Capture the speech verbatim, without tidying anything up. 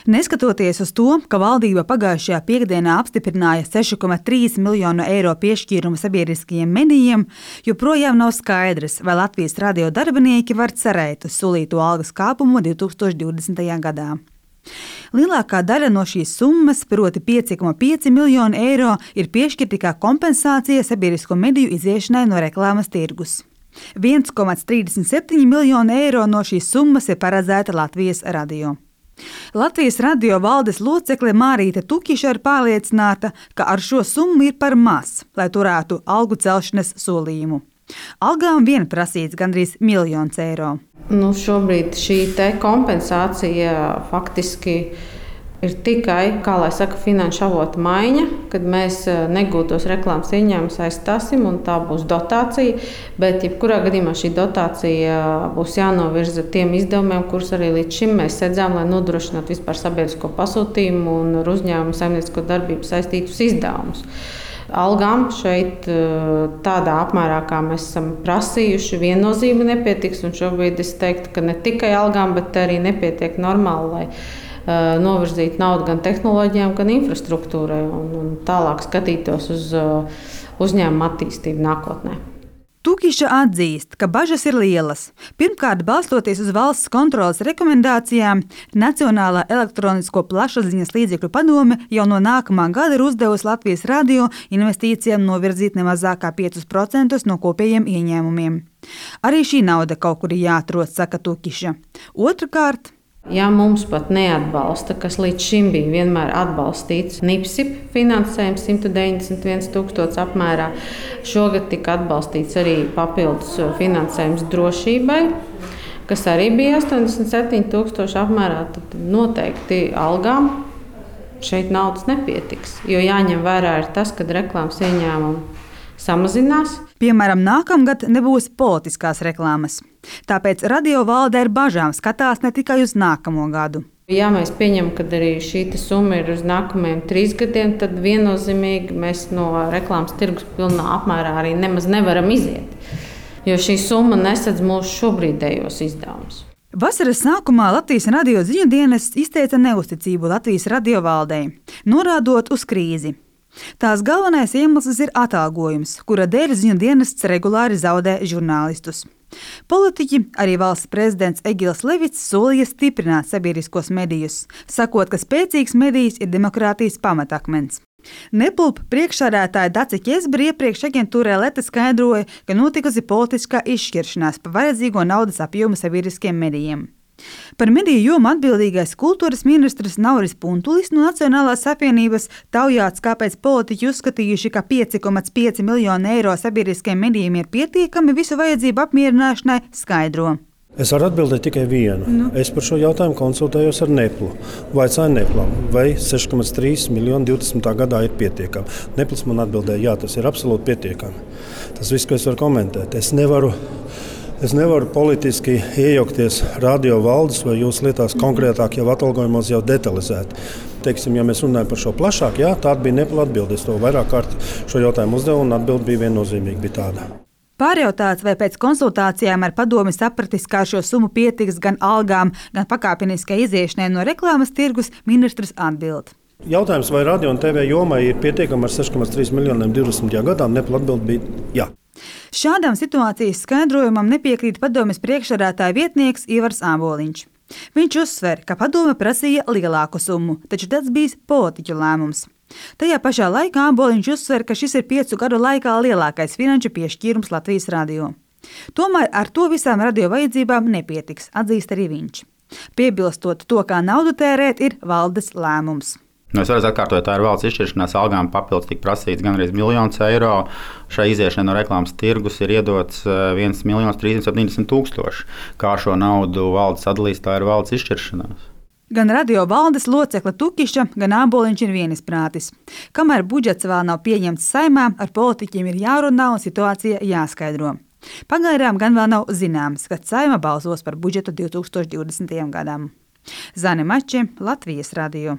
Neskatoties uz to, ka valdība pagājušajā piekdienā apstiprināja seši komats trīs miljonu eiro piešķīrumu sabiedriskajiem medijiem, joprojām nav skaidrs, vai Latvijas radio darbinieki var cerēt uz solīto algas kāpumu divi tūkstoši divdesmitajā gadā. Lielākā daļa no šīs summas, proti pieci komats pieci miljoni eiro, ir piešķirti kā kompensācija sabiedrisko mediju iziešanai no reklāmas tirgus. viens komats trīsdesmit septiņi miljoni eiro no šīs summas ir paredzēta Latvijas radio. Latvijas radio valdes locekle Mārīte Tukiša ir pārliecināta, ka ar šo summu ir par maz, lai turētu algu celšanas solījumu. Algām vien prasīts gandrīz miljons eiro. Nu, šobrīd šī te kompensācija faktiski ir tikai, kā lai saka, finanšu avota maiņa, kad mēs negūtos reklāmas ieņēmumus aizstāsim, un tā būs dotācija. Bet, jebkurā gadījumā šī dotācija būs jānovirza tiem izdevumiem, kurus arī līdz šim mēs sedzām, lai nodrošinātu vispār sabiedrisko pasūtījumu un ar uzņēmumu saimniecisko darbību saistītus izdevumus. Algām šeit tādā apmērā, kā mēs esam prasījuši, viennozīmīgi nepietiks. Un šobrīd es teiktu, ka ne tikai algām, bet arī nepietiek normāli, lai novirzīt naudu gan tehnoloģijām, gan infrastruktūrai un, un tālāk skatītos uz uzņēmumu attīstību nākotnē. Tukiša atzīst, ka bažas ir lielas. Pirmkārt, balstoties uz valsts kontroles rekomendācijām, Nacionālā elektronisko plašsaziņas līdzekļu padome jau no nākamā gada ir uzdevusi Latvijas radio investīcijām novirzīt nemazāk kā piecus procentus no kopējiem ieņēmumiem. Arī šī nauda kaut kur ir jāatrod, saka Tukiša. Otrakārt, ja mums pat neatbalsta, kas līdz šim bija vienmēr atbalstīts NIPSIP finansējums simt deviņdesmit viens tūkstoši apmērā, šogad tika atbalstīts arī papildus finansējums drošībai, kas arī bija astoņdesmit septiņi tūkstoši apmērā, tad noteikti algām šeit naudas nepietiks, jo jāņem vērā ir tas, kad reklāmas ieņēmumi samazinās. Piemēram, nākamgad nebūs politiskās reklāmas. Tāpēc radio valde ar bažām skatās ne tikai uz nākamo gadu. Ja mēs pieņemam, ka arī šī summa ir uz nākamajiem trīs gadiem, tad viennozīmīgi mēs no reklāmas tirgus pilnā apmērā arī nemaz nevaram iziet. Jo šī summa nesedz mūsu šobrīdējos izdevumus. Vasaras sākumā Latvijas radio ziņu dienests izteica neusticību Latvijas radio valdei, norādot uz krīzi. Tās galvenais iemesls ir atalgojums, kura dēļ ziņu dienests regulāri zaudē žurnālistus. Politiķi, arī valsts prezidents Egils Levits, solīja stiprināt sabiedriskos medijus, sakot, ka spēcīgs medijs ir demokrātijas pamatakmens. Nepulp priekšsēdētāja Dace Ķezbere iepriekš aģentūrai Leta skaidroja, ka notikusi politiskā izšķiršanās par vajadzīgo naudas apjomu sabiedriskiem medijiem. Par mediju jomu atbildīgais kultūras ministrs Nauris Puntulis no Nacionālās apvienības taujāts, kāpēc politiķi uzskatījuši, ka pieci komats pieci miljoni eiro sabiedriskiem medijiem ir pietiekami visu vajadzību apmierināšanai, skaidro. Es varu atbildēt tikai vienu. Nu. Es par šo jautājumu konsultējos ar Neplu. Vaicāju Neplam, vai seši komats trīs miljoni divdesmitā gadā ir pietiekami. Nepls man atbildēja, jā, tas ir absolūti pietiekami. Tas viss, ko es varu komentēt. Es nevaru... Es nevaru politiski iejaukties radio valdes vai jūsu lietās konkrētāk jau atalgojumos jau detalizēt. Teiksim, ja mēs runājam par šo plašāk, jā, tāda bija Nepla atbilde. Es to vairāk kārt šo jautājumu uzdevu un atbilde bija viennozīmīgi bija tāda. Pārjautāts, vai pēc konsultācijām ar padomi sapratis, kā šo summu pietiks gan algām, gan pakāpeniskai iziešanai no reklāmas tirgus, ministrs atbild. Jautājums, vai radio un T V jomai ir pietiekami ar seši komats trīs miljoniem divdesmitajā gadā, Nepla atbilde bija jā. Šādam situācijas skaidrojumam nepiekrīt padomes priekšsēdētāja vietnieks Ivars Āboliņš. Viņš uzsver, ka padome prasīja lielāku summu, taču tas bija politiķu lēmums. Tajā pašā laikā Āboliņš uzsver, ka šis ir piecu gadu laikā lielākais finanšu piešķīrums Latvijas radio. Tomēr ar to visām radio vajadzībām nepietiks, atzīst arī viņš. Piebilstot, to, kā naudu tērēt, ir valdes lēmums. Nu, es varu atkārtot, tā ir valsts izšķiršanās, algām papildus tika prasīts gandrīz miljons eiro. Šai iziešanai no reklāmas tirgus ir iedots viens miljons trīssimt septiņdesmit tūkstoši. Kā šo naudu valdes sadalīs, tā ir valsts izšķiršanās. Gan radio valdes locekle Tukiša, gan Āboliņš ir vienisprātis. Kamēr budžets vēl nav pieņemts Saeimā, ar politiķiem ir jārunā un situācija jāskaidro. Pagaidām gan vēl nav zināms, kad Saeima balsos par budžetu divi tūkstoši divdesmitajam gadam. Zane Mače, Latvijas radio.